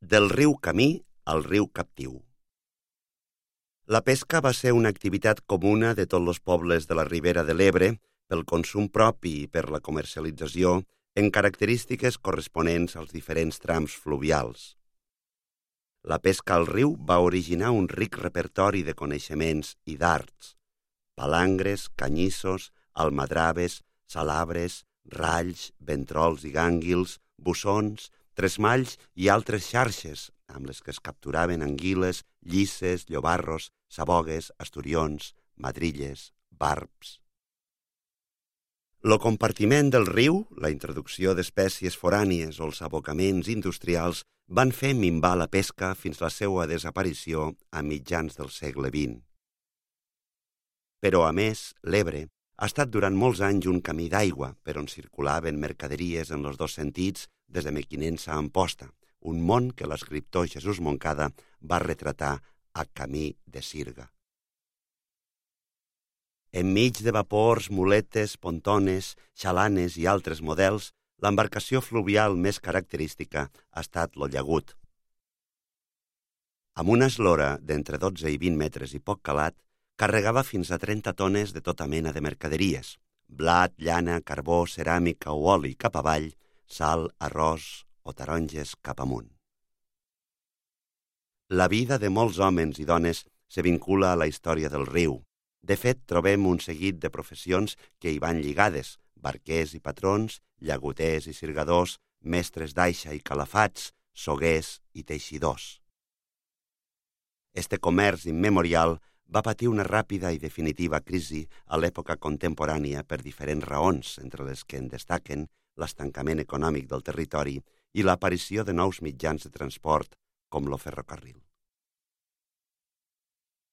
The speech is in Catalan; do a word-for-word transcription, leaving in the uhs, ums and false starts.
Del riu Camí al riu Captiu. La pesca va ser una activitat comuna de tots els pobles de la Ribera de l'Ebre pel consum propi i per la comercialització en característiques corresponents als diferents trams fluvials. La pesca al riu va originar un ric repertori de coneixements i d'arts: palangres, canyissos, almadraves, salabres, ralls, ventrols i gànguils, bussons, tresmalls i altres xarxes, amb les que es capturaven anguiles, llisses, llobarros, sabogues, asturions, madrilles, barbs. Lo compartiment del riu, la introducció d'espècies forànies o els abocaments industrials van fer minvar la pesca fins la seva desaparició a mitjans del segle vint. Però, a més, l'Ebre ha estat durant molts anys un camí d'aigua per on circulaven mercaderies en els dos sentits des de Mequinensa a Amposta, un món que l'escriptor Jesús Moncada va retratar a Camí de Sirga. Enmig de vapors, muletes, pontones, xalanes i altres models, l'embarcació fluvial més característica ha estat lo llagut. Amb una eslora d'entre dotze i vint metres i poc calat, carregava fins a trenta tones de tota mena de mercaderies: blat, llana, carbó, ceràmica o oli cap avall, sal, arròs o taronges cap amunt. La vida de molts homes i dones se vincula a la història del riu. De fet, trobem un seguit de professions que hi van lligades: barquers i patrons, llagoters i sirgadors, mestres d'aixa i calafats, soguers i teixidors. Este comerç immemorial va patir una ràpida i definitiva crisi a l'època contemporània per diferents raons, entre les que en destaquen l'estancament econòmic del territori i l'aparició de nous mitjans de transport com lo ferrocarril.